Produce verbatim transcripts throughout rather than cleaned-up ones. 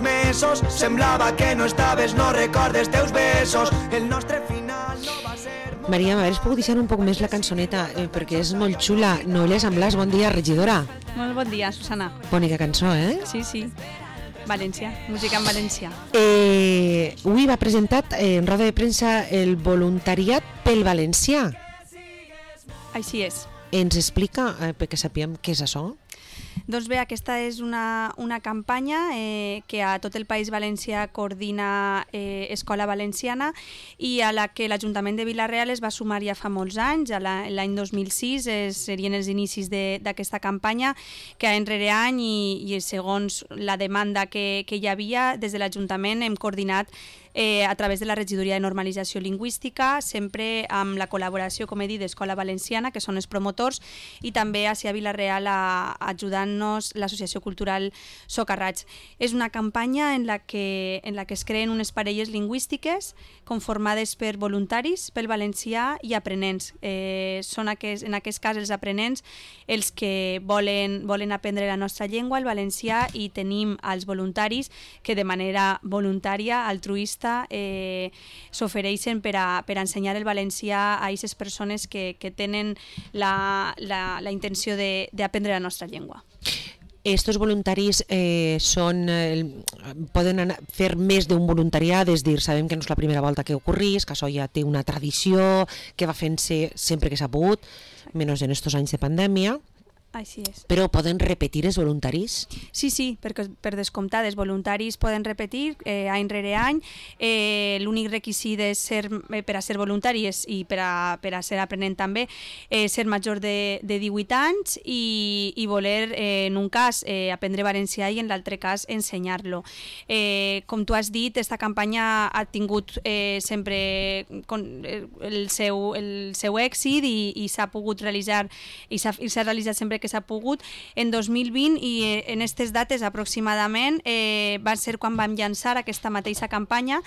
uns mesos. Semblava que no estaves, no recordes teus besos. El nostre final no va ser... Maria, m'hagués pogut deixar un poc més la cançoneta, eh, perquè és molt xula. Noelia Samblàs, bon dia, regidora. Molt bon dia, Susana. Bonica cançó, eh? Sí, sí. València, música en valencià. Eh, avui va presentat eh, en roda de premsa el voluntariat pel valencià. Així és. Ens explica, eh, perquè sapiem què és això? Doncs bé, aquesta és una, una campanya eh, que a tot el País Valencià coordina eh, Escola Valenciana i a la que l'Ajuntament de Vila-real es va sumar ja fa molts anys. L'any dos mil sis eh, serien els inicis d'aquesta campanya, que any rere any i, i segons la demanda que, que hi havia, des de l'Ajuntament hem coordinat Eh, a través de la Regidoria de Normalització Lingüística, sempre amb la col·laboració, com he dit, d'Escola Valenciana, que són els promotors, i també a Vila-real ajudant-nos l'Associació Cultural Socarrats. És una campanya en la, que, en la que es creen unes parelles lingüístiques conformades per voluntaris pel valencià i aprenents. Eh, són aquest, en aquest cas els aprenents els que volen, volen aprendre la nostra llengua, el valencià, i tenim els voluntaris que de manera voluntària, altruista, Eh, s'ofereixen per a, per a ensenyar el valencià a aquestes persones que, que tenen la, la, la intenció d'aprendre la nostra llengua. Estos voluntaris eh, són, eh, poden anar, fer més d'un voluntariat, és dir, sabem que no és la primera volta que ocorrís, que això ja té una tradició, que va fent-se sempre que s'ha pogut, menys en estos anys de pandèmia. Així és. Però poden repetir els voluntaris? Sí, sí, perquè per descomptat els voluntaris poden repetir eh, any rere any. Eh, L'únic requisit és ser, eh, per a ser voluntari i per a, per a ser aprenent també, eh, ser major de, de divuit anys i, i voler, eh, en un cas, eh, aprendre valencià i en l'altre cas ensenyar-lo. Eh, com tu has dit, aquesta campanya ha tingut eh, sempre el seu, el seu èxit i, i s'ha pogut realitzar i s'ha realitzat sempre que s'ha pogut. En dos mil vint i en aquestes dates aproximadament eh, va ser quan vam llançar aquesta mateixa campanya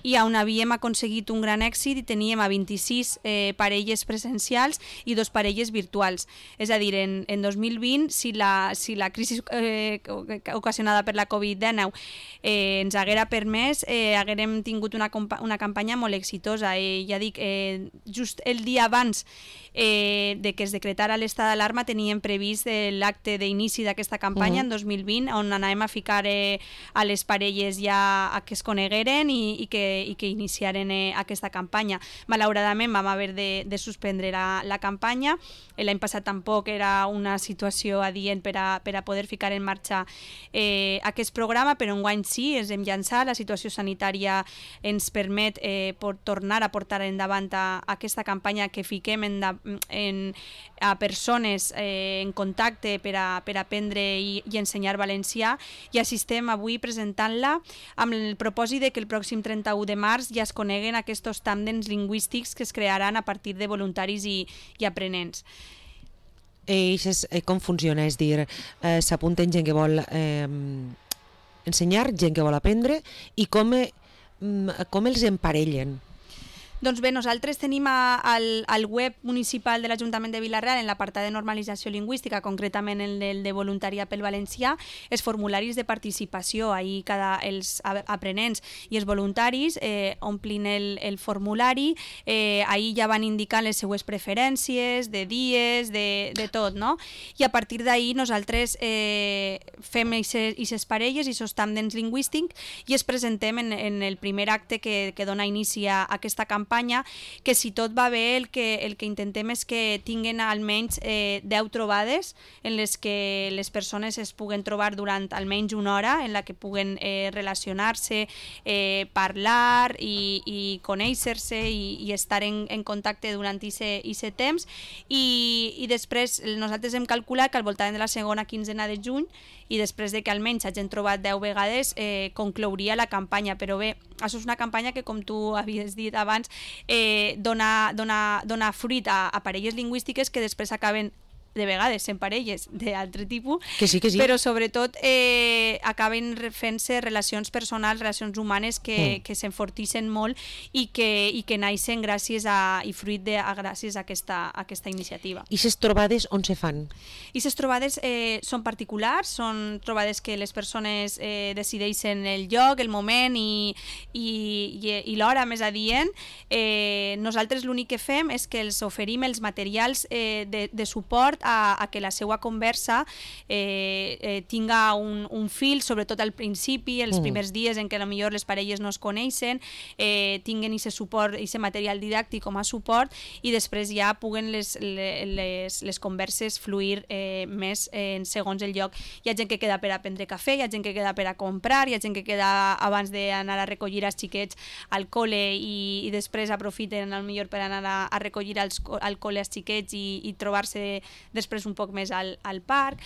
i on havíem aconseguit un gran èxit i teníem a vint-i-sis eh, parelles presencials i dos parelles virtuals. És a dir, en, en dos mil vint, si la, si la crisi eh, ocasionada per la covid dinou eh, ens haguera permès, eh, haguérem tingut una, una campanya molt exitosa. Eh, ja dic, eh, just el dia abans eh, de que es decretara l'estat d'alarma teníem previst l'acte d'inici d'aquesta campanya uh -huh. en dos mil vint, on anàvem a ficar eh, a les parelles ja a que es conegueren i, i, que, i que iniciaren eh, aquesta campanya. Malauradament vam haver de, de suspendre la, la campanya. L'any passat tampoc era una situació adient per a, per a poder ficar en marxa eh, aquest programa, però enguany sí, ens hem llançat. La situació sanitària ens permet eh, por tornar a portar endavant a, a aquesta campanya que fiquem en, en, a persones eh, en contacte per a, per aprendre i, i ensenyar valencià, i així estem avui presentant-la amb el propòsit de que el pròxim trenta-u de març ja es coneguen aquests tàndems lingüístics que es crearan a partir de voluntaris i, i aprenents. Eh, és, eh, com funciona? És dir, eh, s'apunten gent que vol eh, ensenyar, gent que vol aprendre, i com, eh, com els emparellen? Doncs bé, nosaltres tenim a, al, al web municipal de l'Ajuntament de Vila-real, en l'apartat de normalització lingüística, concretament en el de voluntariat pel valencià, els formularis de participació. Ahir cada, els aprenents i els voluntaris eh, omplin el, el formulari, eh, ahir ja van indicar les seues preferències, de dies, de, de tot, no? I a partir d'ahir nosaltres eh, fem aquestes parelles i aquests tàndems lingüístics i es presentem en, en el primer acte que, que dona inici a aquesta campanya, que si tot va bé el que, el que intentem és que tinguen almenys eh, deu trobades en les que les persones es puguen trobar durant almenys una hora, en la que puguen eh, relacionar-se, eh, parlar i, i conèixer-se i, i estar en, en contacte durant aquest temps, i, i després nosaltres hem calculat que al voltant de la segona quinzena de juny, i després de que almenys hagin trobat deu vegades, eh, conclouria la campanya. Però bé, això és una campanya que, com tu havies dit abans, eh, dona, dona, dona fruit a, a parelles lingüístiques que després acaben de vegades en parelles d'altre tipus, que sí, que sí. però sobretot eh, acaben fent-se relacions personals, relacions humanes que, mm. que s'enfortixen molt i que, i que naixen gràcies a, i fruit de, a, gràcies a aquesta, a aquesta iniciativa. I les trobades on se fan? I les trobades eh, són particulars, són trobades que les persones eh, decideixen el lloc, el moment i, i, i, i l'hora més adient. Eh, nosaltres l'únic que fem és que els oferim els materials eh, de, de suport A, a que la seva conversa eh, eh, tinga un, un fil, sobretot al principi, els mm. primers dies en què potser les parelles no es coneixen, eh, tinguen aquest suport, aquest material didàctic com a suport i després ja puguen les, les, les converses fluir eh, més eh, en segons el lloc. Hi ha gent que queda per a prendre cafè, hi ha gent que queda per a comprar, hi ha gent que queda abans d'anar a recollir els xiquets al col·le i, i després aprofiten potser per anar a, a recollir als, al col·le els xiquets i, i trobar-se després un poc més al, al parc.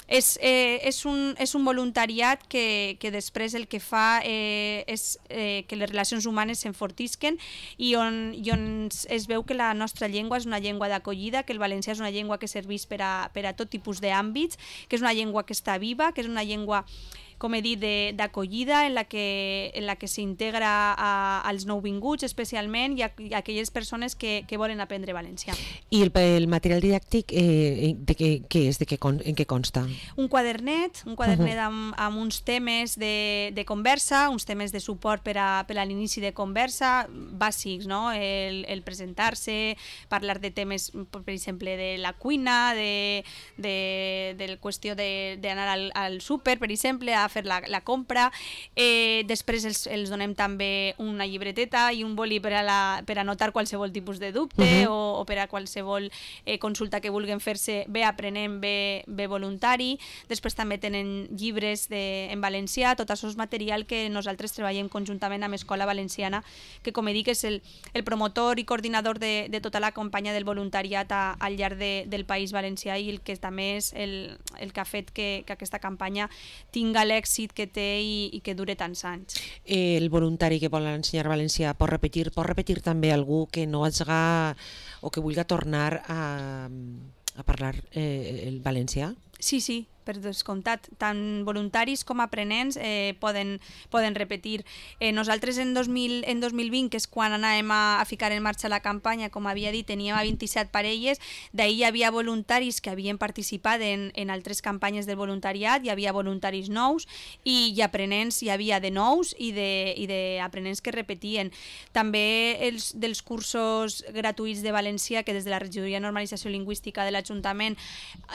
És, eh, és, un, és un voluntariat que, que després el que fa eh, és eh, que les relacions humanes s'enfortisquen i on, i on es veu que la nostra llengua és una llengua d'acollida, que el valencià és una llengua que serveix per a, per a tot tipus d'àmbits, que és una llengua que està viva, que és una llengua com he dit, d'acollida en la que, en la que s'integra als nouvinguts especialment i a, i a aquelles persones que, que volen aprendre valencià. I el, el material didàctic eh, de què, què és? De què, en què consta? Un quadernet, un quadernet uh-huh. amb, amb uns temes de, de conversa, uns temes de suport per a, per a l'inici de conversa, bàsics, no? El, el presentar-se, parlar de temes, per exemple, de la cuina, de, de, de la qüestió d'anar al, al súper, per exemple, a fer la, la compra. Eh, després els, els donem també una llibreteta i un boli per a, la, per a anotar qualsevol tipus de dubte uh-huh. o, o per a qualsevol eh, consulta que vulguin fer-se bé aprenent, bé, bé voluntari. Després també tenen llibres de, en valencià, tot això és material que nosaltres treballem conjuntament amb Escola Valenciana, que com he dit és el, el promotor i coordinador de, de tota la campanya del voluntariat a, al llarg de, del País Valencià i el que també és el, el que ha fet que, que aquesta campanya tinga l'èxit que té i, i que dure tants anys. El voluntari que vol ensenyar valencià pot repetir, pot repetir també algú que no hagi o que vulgui tornar a, a parlar eh, el valencià? Sí, sí, per descomptat, tant voluntaris com aprenents eh, poden, poden repetir. Eh, nosaltres en dos mil, en dos mil vint, que és quan anàvem a, a ficar en marxa la campanya, com havia dit, teníem a vint-i-set parelles, d'ahir hi havia voluntaris que havien participat en, en altres campanyes del voluntariat, hi havia voluntaris nous i, i aprenents hi havia de nous i d'aprenents que repetien. També els dels cursos gratuïts de valencià que des de la Regidoria de Normalització Lingüística de l'Ajuntament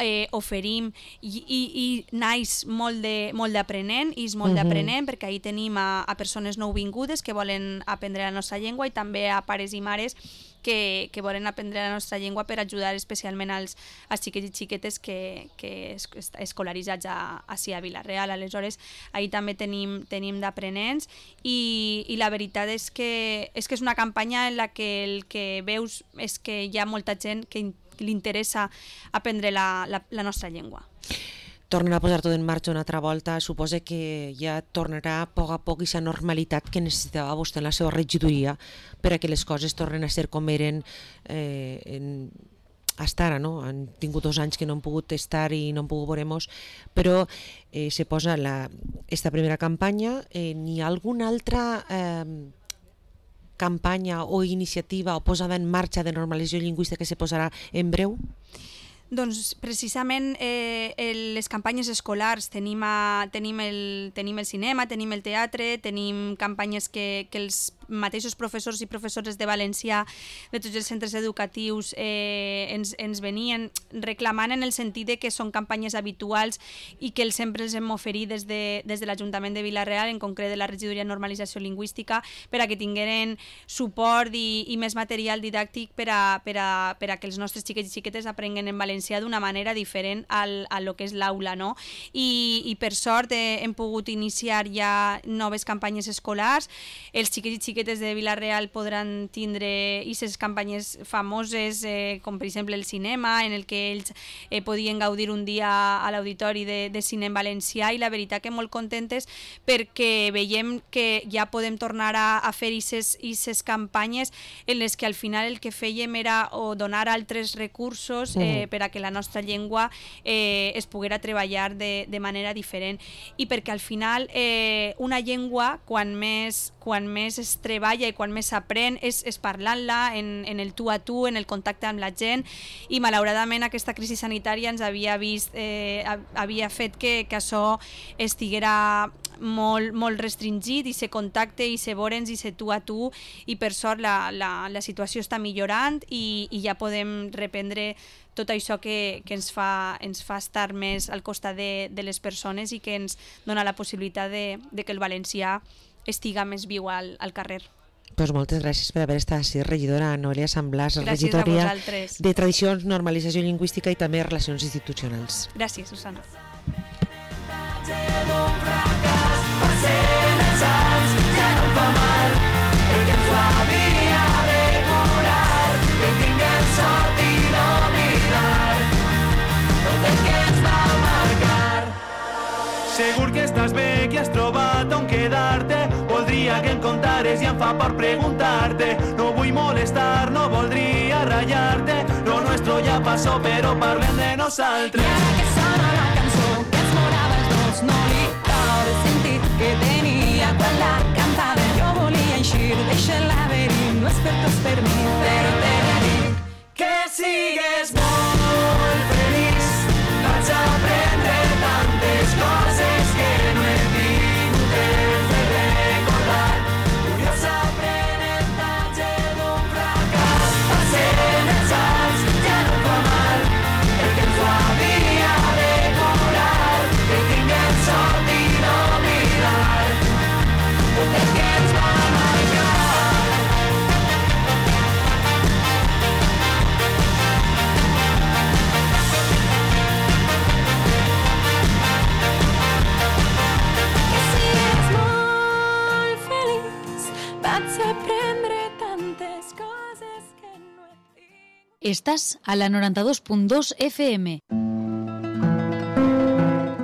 eh, oferim i, i i naix molt d'aprenent i és molt uh-huh. d'aprenent perquè ahir tenim a, a persones nouvingudes que volen aprendre la nostra llengua i també a pares i mares que, que volen aprendre la nostra llengua per ajudar especialment als, als xiquets i xiquetes que, que es, escolaritzats a, a, a Vila-real. Aleshores, ahir també tenim, tenim d'aprenents i, i la veritat és que, és que és una campanya en la que el que veus és que hi ha molta gent que li interessa aprendre la, la, la nostra llengua. Tornen a posar tot en marxa una altra volta, suposa que ja tornarà a poc a poc aquesta normalitat que necessitava vostè en la seva regidoria per a que les coses tornen a ser com eren eh, en, hasta ara, no? Han tingut dos anys que no han pogut estar i no han pogut veure-nos, però eh, se posa la, esta primera campanya. Eh, n'hi ha alguna altra eh, campanya o iniciativa o posada en marxa de normalització lingüística que se posarà en breu? Doncs precisament eh, el, les campanyes escolars, tenim, a, tenim, el, tenim el cinema, tenim el teatre, tenim campanyes que, que els mateixos professors i professores de valencià de tots els centres educatius eh, ens, ens venien reclamant en el sentit de que són campanyes habituals i que els sempre els hem oferit des de, des de l'Ajuntament de Vila-real, en concret de la Regidoria de Normalització Lingüística, per a que tingueren suport i, i més material didàctic per a, per, a, per a que els nostres xiquets i xiquetes aprenguen en valencià d'una manera diferent al, a lo que és l'aula, no? I, i per sort eh, hem pogut iniciar ja noves campanyes escolars. Els xiquets i xiquetes xiquetes de Vila-real podran tindre aquestes campanyes famoses, eh, com per exemple el cinema, en el que ells eh, podien gaudir un dia a l'Auditori de, de Cine en Valencià, i la veritat que molt contentes perquè veiem que ja podem tornar a, a fer aquestes campanyes en les que al final el que fèiem era o donar altres recursos eh, per a que la nostra llengua eh, es poguera treballar de, de manera diferent, i perquè al final eh, una llengua quan més, quan més es treballa i quan més s'aprèn és, és parlant-la en, en el tu a tu, en el contacte amb la gent, i malauradament aquesta crisi sanitària ens havia vist eh, havia fet que, que això estiguera molt, molt restringit, i se contacte i se vorens i se tu a tu, i per sort la, la, la situació està millorant i, i ja podem reprendre tot això que, que ens, fa, ens fa estar més al costat de, de les persones i que ens dona la possibilitat de, de que el valencià estiga més viu al, al carrer. Pues moltes gràcies per haver estat així, regidora Noelia Samblàs, regidora de Tradicions, Normalització Lingüística i també Relacions Institucionals. Gràcies, Susana. Segur que estàs bé, que has trobat on quedar-te. Voldria que em contares i em fa por preguntar-te. No vull molestar, no voldria ratllar-te. Lo nuestro ja passó, però parlem de nosaltres. I ara que sona la cançó que ens morava els dos, no li cau el sentit que tenia quan la cantava. Jo volia eixir d'eixe laberint, no és per tots per mi, però te dic que sigues molt feliç. Vaig aprendre tantes coses que no he tingut temps de recordar. Curiós aprenentatge d'un fracàs. Passem els anys, ja no fa mal, perquè ens ho havia de curar. Que tinguem sort i no oblidar tot el que ens va marcar. Estás a la noranta dos punt dos F M.